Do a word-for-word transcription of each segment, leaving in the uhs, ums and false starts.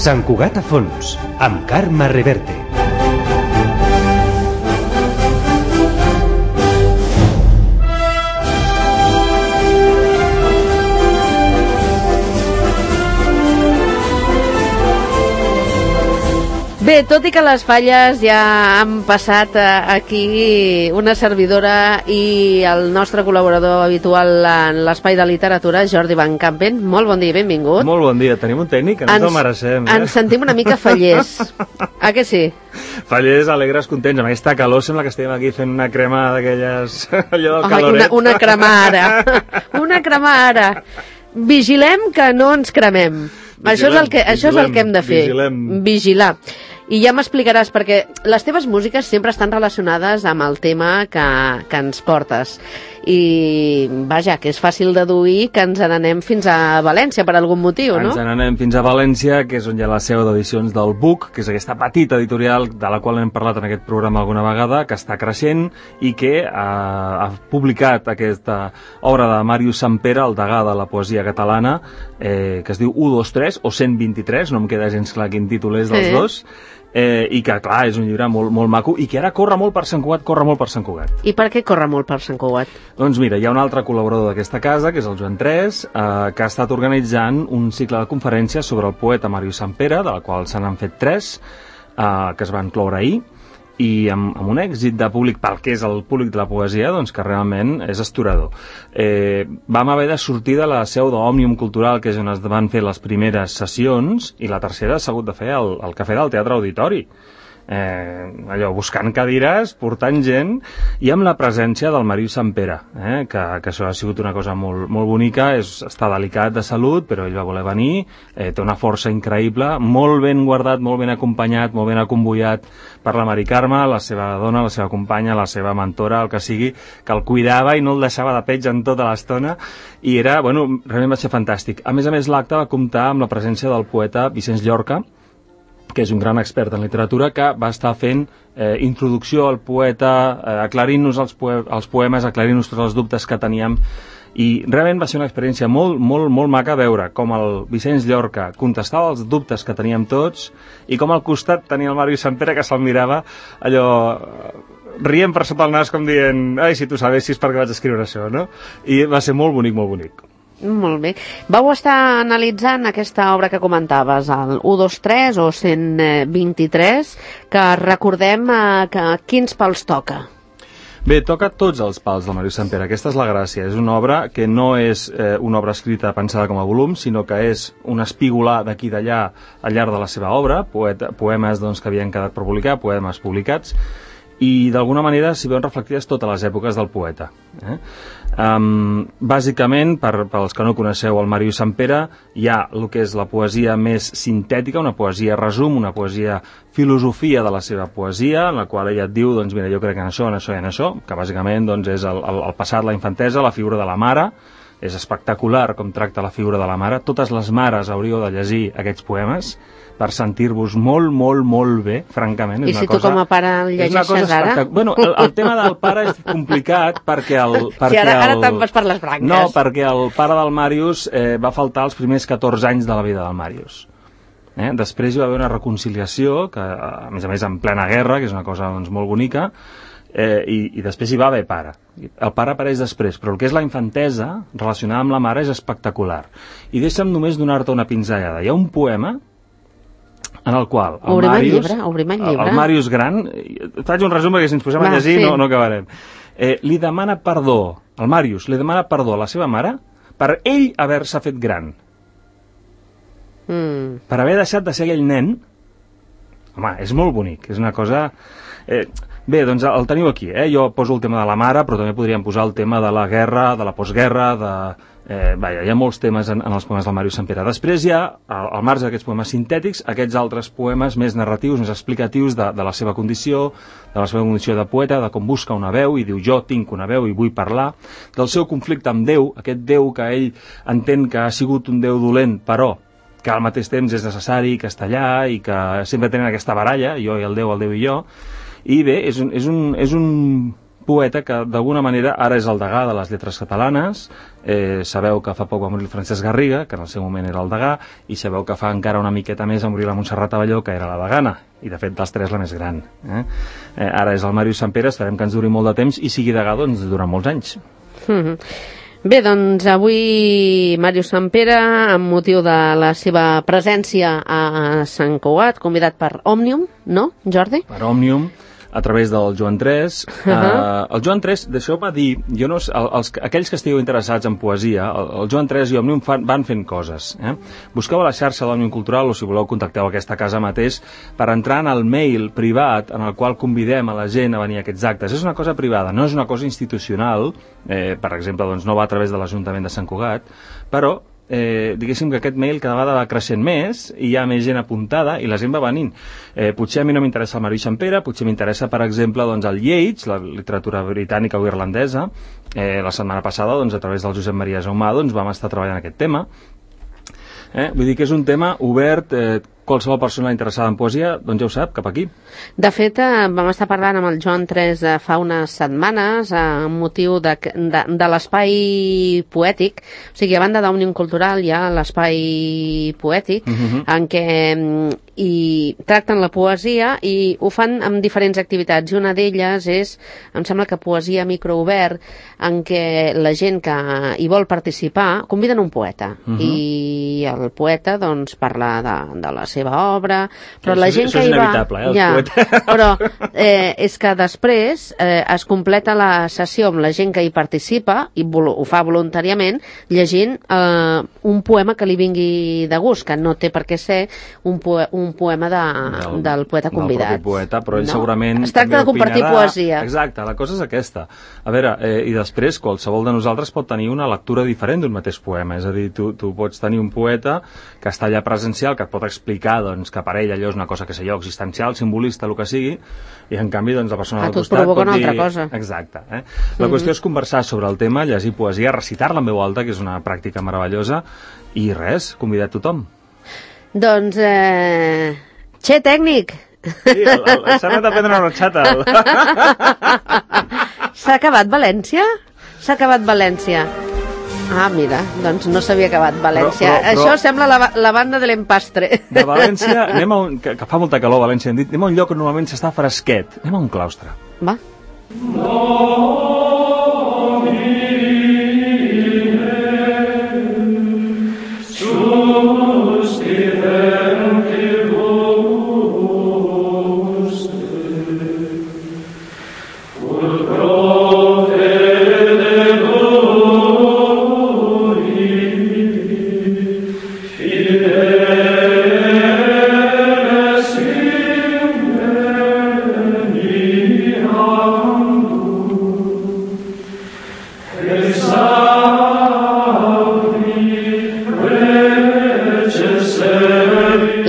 Sant Cugat a fons, amb Carme Reverte. Bé, tot i que les falles ja han passat aquí una servidora i el nostre col·laborador habitual en l'espai de literatura, Jordi Van Campen. Molt bon dia, benvingut. Molt bon dia, tenim un tècnic que ens, ens el mereixem. Eh? Ens sentim una mica fallers. A què sí? Fallers, alegres, contents. Amb aquesta calor sembla que estem aquí fent una crema d'aquelles... allò del caloret. Una, una crema ara. Una crema ara. Vigilem que no ens cremem. Vigilem, això és el que, vigilem, això és el que hem de fer. Vigilem. Vigilar. I ja m'explicaràs, perquè les teves músiques sempre estan relacionades amb el tema que, que ens portes. I, vaja, que és fàcil deduir que ens n'anem fins a València per algun motiu, no? Ens n'anem fins a València, que és on hi ha la seu d'edicions del Buc, que és aquesta petita editorial de la qual hem parlat en aquest programa alguna vegada, que està creixent i que ha, ha publicat aquesta obra de Màrius Sampere, el degà de la poesia catalana, eh, que es diu u dos tres o cent vint-i-tres, no em queda gens clar quin títol és dels sí. dos, Eh, i que, clar, és un llibre molt, molt maco i que ara corre molt per Sant Cugat, corre molt per Sant Cugat. I per què corre molt per Sant Cugat? Doncs mira, hi ha un altre col·laborador d'aquesta casa, que és el Joan Tres, eh, que ha estat organitzant un cicle de conferències sobre el poeta Màrius Sampere, de la qual se n'han fet tres, eh, que es van cloure ahir, i amb, amb un èxit de públic pel que és el públic de la poesia, doncs que realment és astorador. Eh, vam haver de sortir de la seu d'Òmnium Cultural, que és on es van fer les primeres sessions, i la tercera s'ha hagut de fer al, al Cafè del Teatre Auditori. Eh, allò, buscant cadires, portant gent, i amb la presència del Màrius Sampere, eh, que, que això ha sigut una cosa molt, molt bonica, és, està delicat de salut, però ell va voler venir, eh, té una força increïble, molt ben guardat, molt ben acompanyat, molt ben acomboiat per la Mari Carme, la seva dona, la seva companya, la seva mentora, el que sigui, que el cuidava i no el deixava de peig en tota l'estona, i era, bueno, realment va ser fantàstic. A més a més, l'acte va comptar amb la presència del poeta Vicenç Llorca, que és un gran expert en literatura, que va estar fent eh, introducció al poeta, eh, aclarint-nos els, poe els poemes, aclarint-nos tots els dubtes que teníem, i realment va ser una experiència molt, molt, molt maca veure com el Vicenç Llorca contestava els dubtes que teníem tots i com al costat tenia el Màrius Sampere, que se'l mirava allò rient per sota el nas com dient, ai, si tu sabessis per què vaig escriure això, no? I va ser molt bonic, molt bonic. Molt bé. Vau estar analitzant aquesta obra que comentaves, el u dos tres o cent vint-i-tres, que recordem eh, que quins pals toca? Bé, toca tots els pals del Màrius Sampere. Aquesta és la gràcia. És una obra que no és eh, una obra escrita pensada com a volum, sinó que és un espigolar d'aquí i d'allà al llarg de la seva obra, poeta, poemes doncs, que havien quedat per publicar, poemes publicats, i d'alguna manera s'hi veuen reflectides totes les èpoques del poeta. Eh? Um, bàsicament, per, per als que no coneixeu el Màrius Sampere, hi ha el que és la poesia més sintètica, una poesia resum, una poesia filosofia de la seva poesia, en la qual ella et diu, doncs mira, jo crec en això, en això i en això, que bàsicament doncs, és el, el, el passat, la infantesa, la figura de la mare. És espectacular com tracta la figura de la mare. Totes les mares hauríeu de llegir aquests poemes per sentir-vos molt, molt, molt bé, francament. I és si una tu cosa, com a pare el llegeixes ara? Bueno, el, el tema del pare és complicat perquè el... Perquè si ara, ara el... te'n vas per les branques. No, perquè el pare del Màrius eh, va faltar els primers catorze anys de la vida del Màrius. Eh? Després hi va haver una reconciliació, que a més a més en plena guerra, que és una cosa doncs, molt bonica, eh, i, i després hi va haver pare. El pare apareix després, però el que és la infantesa relacionada amb la mare és espectacular. I deixa'm només donar-te una pinzellada. Hi ha un poema en el qual el obrim Màrius, el llibre, obrim el llibre. el Màrius gran, faig un resum perquè si ens posem Va, a llegir sí. no, no acabarem. Eh, li demana perdó, el Màrius li demana perdó a la seva mare per ell haver-se fet gran. Mm. Per haver deixat de ser aquell nen. Home, és molt bonic, és una cosa... Eh, bé, doncs el teniu aquí, eh? Jo poso el tema de la mare, però també podríem posar el tema de la guerra, de la postguerra, de... Eh, vaja, hi ha molts temes en, en els poemes del Màrius Sampere. Després hi ha, al, al marge d'aquests poemes sintètics, aquests altres poemes més narratius, més explicatius de, de la seva condició, de la seva condició de poeta, de com busca una veu i diu jo tinc una veu i vull parlar, del seu conflicte amb Déu, aquest Déu que ell entén que ha sigut un Déu dolent, però que al mateix temps és necessari, que està allà i que sempre tenen aquesta baralla, jo i el Déu, el Déu i jo. I bé, és un, és un, és un poeta que d'alguna manera ara és el degà de les lletres catalanes. Eh, sabeu que fa poc va morir el Francesc Garriga, que en el seu moment era el degà, i sabeu que fa encara una miqueta més va morir la Montserrat Abelló, que era la degana, i de fet dels tres la més gran. Eh? Eh, ara és el Màrius Sampere, esperem que ens duri molt de temps i sigui degà doncs, durant molts anys. Mm-hmm. Bé, doncs avui Màrius Sampere, amb motiu de la seva presència a Sant Cugat, convidat per Òmnium, no, Jordi? Per Òmnium, a través del Joan tres. Uh-huh. uh, el Joan tres, deixeu-me dir, jo no, els, aquells que estigueu interessats en poesia, el, el Joan tres i Òmnium fan, van fent coses. Eh? Busqueu a la xarxa de l'Òmnium Cultural o si voleu contacteu aquesta casa mateix per entrar en el mail privat en el qual convidem a la gent a venir a aquests actes. És una cosa privada, no és una cosa institucional, eh, per exemple, doncs no va a través de l'Ajuntament de Sant Cugat, però Eh, diguéssim que aquest mail cada vegada va creixent més i hi ha més gent apuntada i la gent va venint. Eh, potser a mi no m'interessa el Màrius Sampere, potser m'interessa, per exemple, doncs, el Yeats, la literatura britànica o irlandesa. Eh, la setmana passada, doncs, a través del Josep Maria Jaumà, doncs, vam estar treballant aquest tema. Eh? Vull dir que és un tema obert, eh, qualsevol persona interessada en poesia, doncs ja ho sap, cap aquí. De fet, eh, vam estar parlant amb el Joan tres eh, fa unes setmanes eh, amb motiu de, de, de l'espai poètic, o sigui, a banda d'Òmnium Cultural hi ha l'espai poètic, uh-huh. en què i tracten la poesia i ho fan amb diferents activitats, i una d'elles és, em sembla que poesia microobert, en què la gent que hi vol participar conviden un poeta, uh-huh. i el poeta doncs parla de, de la seva obra, però això, la gent això que hi va... eh, ja, però eh, és que després eh, es completa la sessió amb la gent que hi participa, i ho fa voluntàriament, llegint eh, un poema que li vingui de gust, que no té per què ser un, poe un poema de, del, del poeta convidat. Del propi poeta, però ell no? segurament... Es tracta de compartir opinarà... poesia. Exacte, la cosa és aquesta. A veure, eh, i després qualsevol de nosaltres pot tenir una lectura diferent d'un mateix poema, és a dir, tu, tu pots tenir un poeta que està allà presencial, que et pot explicar doncs, que per ell allò és una cosa que sé jo, existencial, simbolista, el que sigui, i en canvi doncs, la persona al costat provoca pot una dir... altra cosa. Exacte. Eh? La mm-hmm. qüestió és conversar sobre el tema, llegir poesia, recitar-la en veu alta, que és una pràctica meravellosa, i res, convidar tothom. Doncs, eh... Che, tècnic! Sí, s'ha anat a prendre una xata. S'ha acabat València? S'ha acabat València. Ah, mira, doncs no s'havia acabat València. Però, però, però... Això sembla la, la banda de l'empastre. De València, anem a un, que, que fa molta calor a València, hem dit, anem a un lloc on normalment s'està fresquet. Anem a un claustre. Va.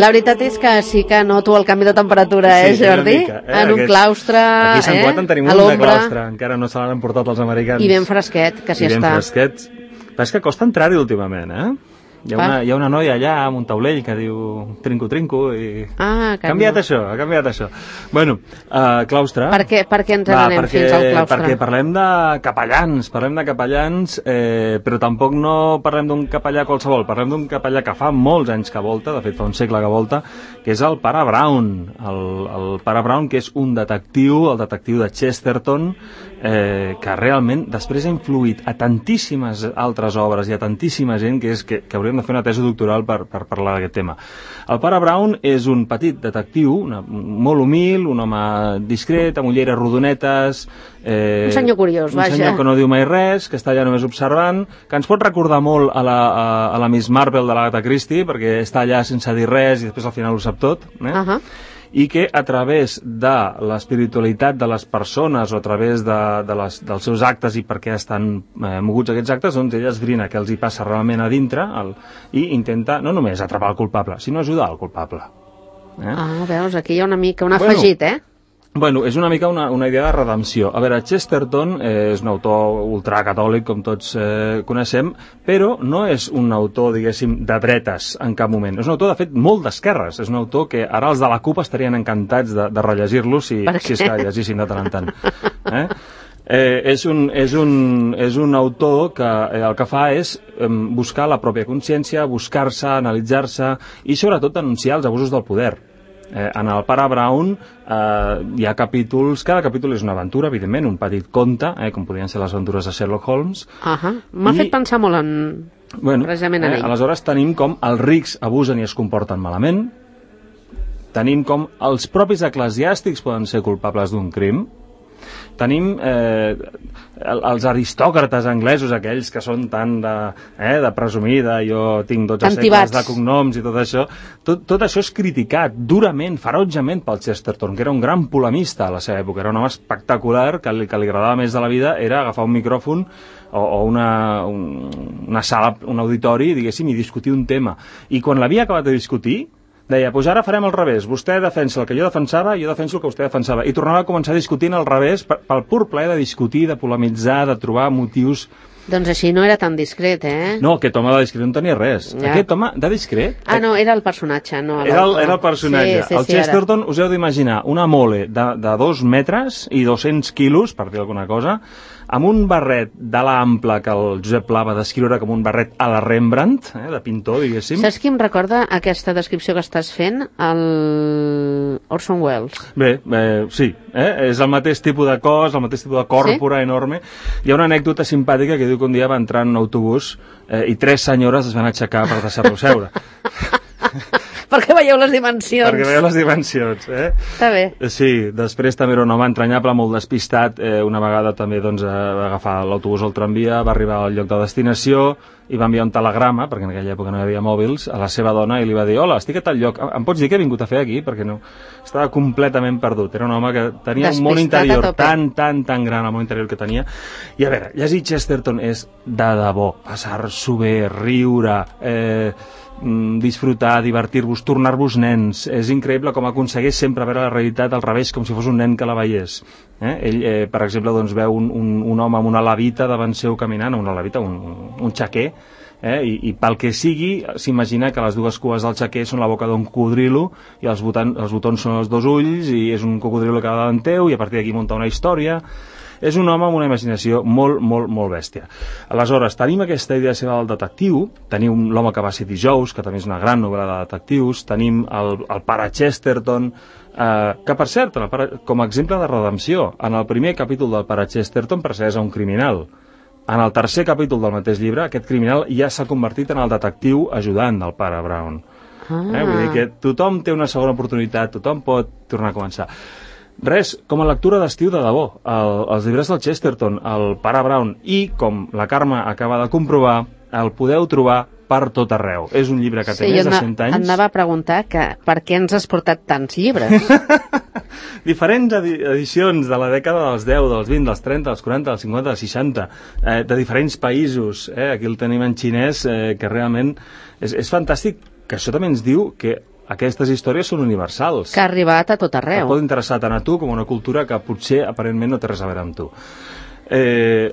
La veritat és que sí que noto el canvi de temperatura, eh, sí, Jordi? Mica, eh? En un Aquest... claustre, aquí a Sant Cugat eh? en tenim un de claustre, encara no se l'han emportat els americans. I ben fresquet, que s'hi I està. I ben fresquet. Però és que costa entrar-hi últimament, eh? Hi ha, una, hi ha una noia allà amb un taulell que diu trinco, trinco i... Ah, ha canviat no. això, ha canviat això. Bueno, uh, claustre... Per què, per què ens n'anem perquè, fins al claustre? Perquè parlem de capellans, parlem de capellans, eh, però tampoc no parlem d'un capellà qualsevol, parlem d'un capellà que fa molts anys que volta, de fet fa un segle que volta, que és el pare Brown. El, el pare Brown, que és un detectiu, el detectiu de Chesterton, eh, que realment després ha influït a tantíssimes altres obres i a tantíssima gent que, és, que, que hauríem de fer una tesi doctoral per, per parlar d'aquest tema. El pare Brown és un petit detectiu, una, molt humil, un home discret, amb ulleres rodonetes... Eh, un senyor curiós, un vaja. Un senyor que no diu mai res, que està allà només observant, que ens pot recordar molt a la, a, a la Miss Marple de l'Agatha Christie, perquè està allà sense dir res i després al final ho sap tot, eh? Uh -huh. I que a través de l'espiritualitat de les persones o a través de, de les, dels seus actes i per què estan eh, moguts aquests actes, doncs ella esbrina què els hi passa realment a dintre el, i intenta no només atrapar el culpable, sinó ajudar el culpable. Eh? Ah, veus, aquí hi ha una mica un afegit, bueno, eh? Bueno, és una mica una, una idea de redempció. A veure, Chesterton eh, és un autor ultracatòlic, com tots eh, coneixem, però no és un autor, diguéssim, de dretes en cap moment. És un autor, de fet, molt d'esquerres. És un autor que ara els de la CUP estarien encantats de, de rellegir-lo si, si és que llegissin de tant en tant. Eh? Eh, és, un, és, un, és un autor que eh, el que fa és eh, buscar la pròpia consciència, buscar-se, analitzar-se i sobretot denunciar els abusos del poder. Eh, en el Pare Brown eh, hi ha capítols, cada capítol és una aventura, evidentment, un petit conte, eh, com podrien ser les aventures de Sherlock Holmes. Uh-huh. M'ha I... fet pensar molt en... Bueno, precisament en eh, ell. Aleshores tenim com els rics abusen i es comporten malament, tenim com els propis eclesiàstics poden ser culpables d'un crim, tenim eh, els aristòcrates anglesos, aquells que són tan de, eh, de presumir, de jo tinc dotze segles de cognoms i tot això, tot, tot això és criticat durament, ferotgement pel Chesterton, que era un gran polemista a la seva època, era un home espectacular, que li, que li agradava més de la vida era agafar un micròfon o, o una, un, una sala, un auditori, diguéssim, i discutir un tema. I quan l'havia acabat de discutir, deia, doncs ara farem al revés, vostè defensa el que jo defensava i jo defenso el que vostè defensava. I tornava a començar discutint al revés pel pur plaer de discutir, de polemitzar, de trobar motius... Doncs així no era tan discret, eh? No, aquest home de discret no tenia res. Ja. Aquest home de discret... Ah, no, era el personatge. No, era, el, era el personatge. Sí, sí, el sí, Chesterton, ara. Us heu d'imaginar una mole de, de dos metres i dos-cents quilos, per dir alguna cosa, amb un barret d'ala ampla que el Josep Pla va descriure com un barret a la Rembrandt, eh, de pintor, diguéssim. Saps qui em recorda aquesta descripció que estàs fent? El Orson Welles. Bé, eh, sí, eh? És el mateix tipus de cos, el mateix tipus de còrpora sí? enorme. Hi ha una anècdota simpàtica que diu que un dia va entrar en un autobús eh, i tres senyores es van aixecar per deixar-lo seure. Perquè veieu les dimensions. Perquè veieu les dimensions, eh? Està bé. Sí, després també era un home entranyable, molt despistat. Eh, una vegada també doncs, va agafar l'autobús o el tramvia, va arribar al lloc de destinació i va enviar un telegrama, perquè en aquella època no hi havia mòbils, a la seva dona i li va dir, hola, estic a tal lloc, em pots dir què he vingut a fer aquí? Perquè no, estava completament perdut. Era un home que tenia despistat un món interior tan, tan, tan gran, el món interior que tenia. I a veure, llegir Chesterton és de debò, passar-s'ho bé, riure... Eh, disfrutar, divertir-vos, tornar-vos nens. És increïble com aconsegueix sempre veure la realitat al revés, com si fos un nen que la veiés. Eh? Ell, eh, per exemple, doncs, veu un, un, un home amb una levita davant seu caminant, una levita, un, un xaquer, eh? I, i pel que sigui, s'imagina que les dues cues del xaquer són la boca d'un cocodrilo i els, botan, els botons són els dos ulls i és un cocodrilo que va davant teu i a partir d'aquí munta una història. És un home amb una imaginació molt, molt, molt bèstia. Aleshores, tenim aquesta idea seva del detectiu, tenim l'home que va ser dijous, que també és una gran novel·la de detectius, tenim el, el pare Chesterton, eh, que per cert, el pare, com a exemple de redempció, en el primer capítol del pare Chesterton persegueix a un criminal. En el tercer capítol del mateix llibre, aquest criminal ja s'ha convertit en el detectiu ajudant del pare Brown. Ah. Eh? Vull dir que tothom té una segona oportunitat, tothom pot tornar a començar. Res, com a lectura d'estiu de debò, el, els llibres del Chesterton, el pare Brown i, com la Carme acaba de comprovar, el podeu trobar per tot arreu. És un llibre que té sí, més de cent anys. Sí, anava a preguntar que per què ens has portat tants llibres? Diferents edicions de la dècada dels deu, dels vint, dels trenta, dels quaranta, dels cinquanta, dels seixanta, eh, de diferents països. Eh? Aquí el tenim en xinès, eh, que realment és, és fantàstic, que això també ens diu que aquestes històries són universals. Que ha arribat a tot arreu. Que pot interessar tant a tu com a una cultura que potser aparentment no té res a veure amb tu. Eh,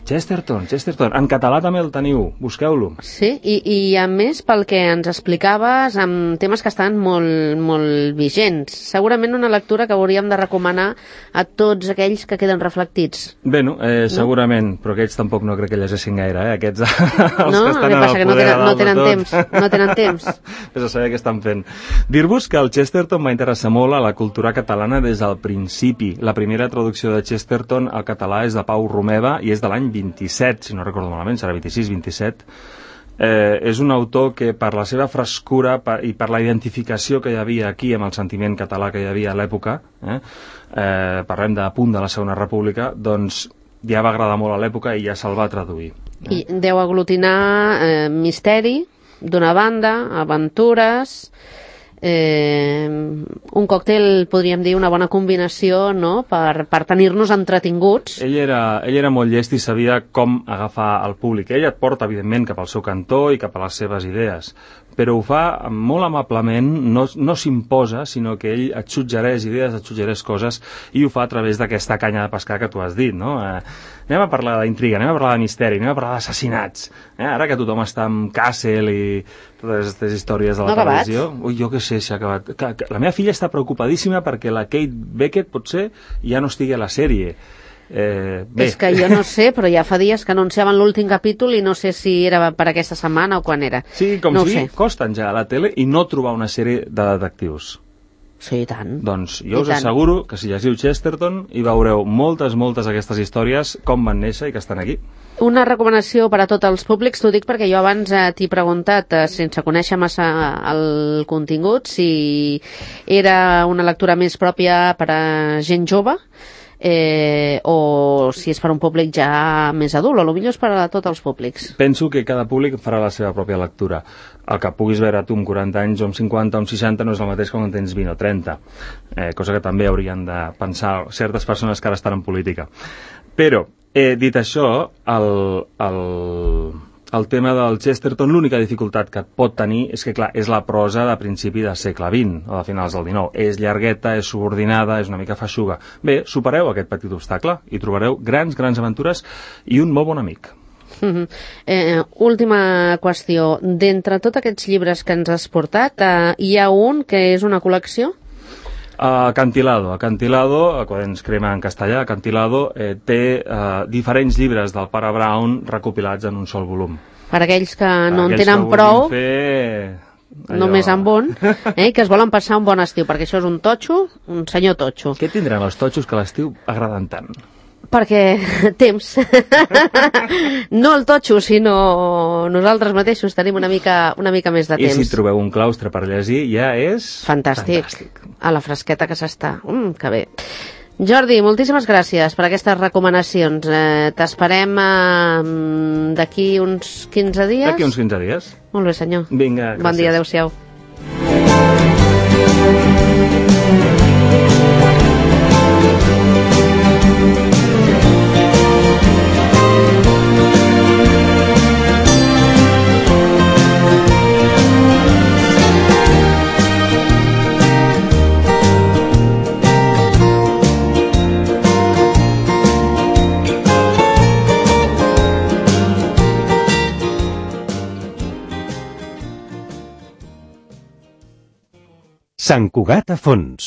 Chesterton, Chesterton, en català també el teniu, busqueu-lo. Sí, i, i a més pel que ens explicaves amb temes que estan molt, molt vigents. Segurament una lectura que hauríem de recomanar a tots aquells que queden reflectits. Bé, no, eh, no? segurament, però aquests tampoc no crec que llegessin gaire, eh? Aquests, els no? que estan en el poder no tenen, no tenen temps, no tenen temps. Ves a saber què estan fent. Dir-vos que el Chesterton va interessar molt a la cultura catalana des del principi. La primera traducció de Chesterton al català és de Pau Romeva i és de l'any vint-i-set, si no recordo malament, serà vint-i-sis, vint-i-set. Eh, és un autor que per la seva frescura per, i per la identificació que hi havia aquí amb el sentiment català que hi havia a l'època, eh, eh, parlem de punt de la Segona República, doncs ja va agradar molt a l'època i ja se'l va traduir. Eh? I deu aglutinar eh, misteri, d'una banda, aventures... Eh, un còctel, podríem dir, una bona combinació, no?, per, per tenir-nos entretinguts. Ell era, ell era molt llest i sabia com agafar el públic. Ell et porta, evidentment, cap al seu cantó i cap a les seves idees, però ho fa molt amablement, no, no s'imposa, sinó que ell et suggereix idees, et suggereix coses, i ho fa a través d'aquesta canya de pescar que tu has dit, no? Eh, anem a parlar d'intriga, anem a parlar de misteri, anem a parlar d'assassinats. Eh? Ara que tothom està amb Castle i totes aquestes històries de la no televisió... Ui, jo què sé, s'ha acabat. Que, que la meva filla està preocupadíssima perquè la Kate Beckett, potser, ja no estigui a la sèrie. Eh, bé. És que jo no sé, però ja fa dies que anunciaven l'últim capítol i no sé si era per aquesta setmana o quan era. Sí, com no si costen ja a la tele i no trobar una sèrie de detectius. Sí, i tant. Doncs jo I us tant. asseguro que si llegiu Chesterton hi veureu moltes, moltes d'aquestes històries, com van néixer i que estan aquí. Una recomanació per a tots els públics, t'ho dic perquè jo abans eh, t'he preguntat, eh, sense conèixer massa el contingut, si era una lectura més pròpia per a gent jove, eh, o si és per a un públic ja més adult, o potser és per a tots els públics. Penso que cada públic farà la seva pròpia lectura. El que puguis veure tu amb quaranta anys o amb cinquanta o amb seixanta no és el mateix que quan tens vint o trenta, eh, cosa que també haurien de pensar certes persones que ara estan en política. Però, eh, dit això, el, el, el tema del Chesterton, l'única dificultat que et pot tenir és que, clar, és la prosa de principi del segle vint o de finals del dinou. És llargueta, és subordinada, és una mica feixuga. Bé, supereu aquest petit obstacle i trobareu grans, grans aventures i un molt bon amic. Uh-huh. eh, última qüestió. D'entre tots aquests llibres que ens has portat, eh, hi ha un que és una col·lecció? Uh, Acantilado. Acantilado, quan ens crema en castellà, Acantilado eh, té uh, diferents llibres del pare Brown recopilats en un sol volum. Per aquells que Per no en aquells tenen que prou, fer... allò... només amb un, eh, que es volen passar un bon estiu, perquè això és un totxo, un senyor totxo. Què tindran els totxos que a l'estiu agraden tant? Perquè temps. No el totxo, sinó nosaltres mateixos tenim una mica, una mica més de I temps. si trobeu un claustre per llegir, ja és... Fantàstic. Fantàstic. A la fresqueta que s'està. Mm, que bé. Jordi, moltíssimes gràcies per aquestes recomanacions. Eh, T'esperem eh, d'aquí uns quinze dies? D'aquí uns quinze dies. Molt bé, senyor. Vinga, gràcies. Bon dia, adeu-siau. Sant Cugat a fons.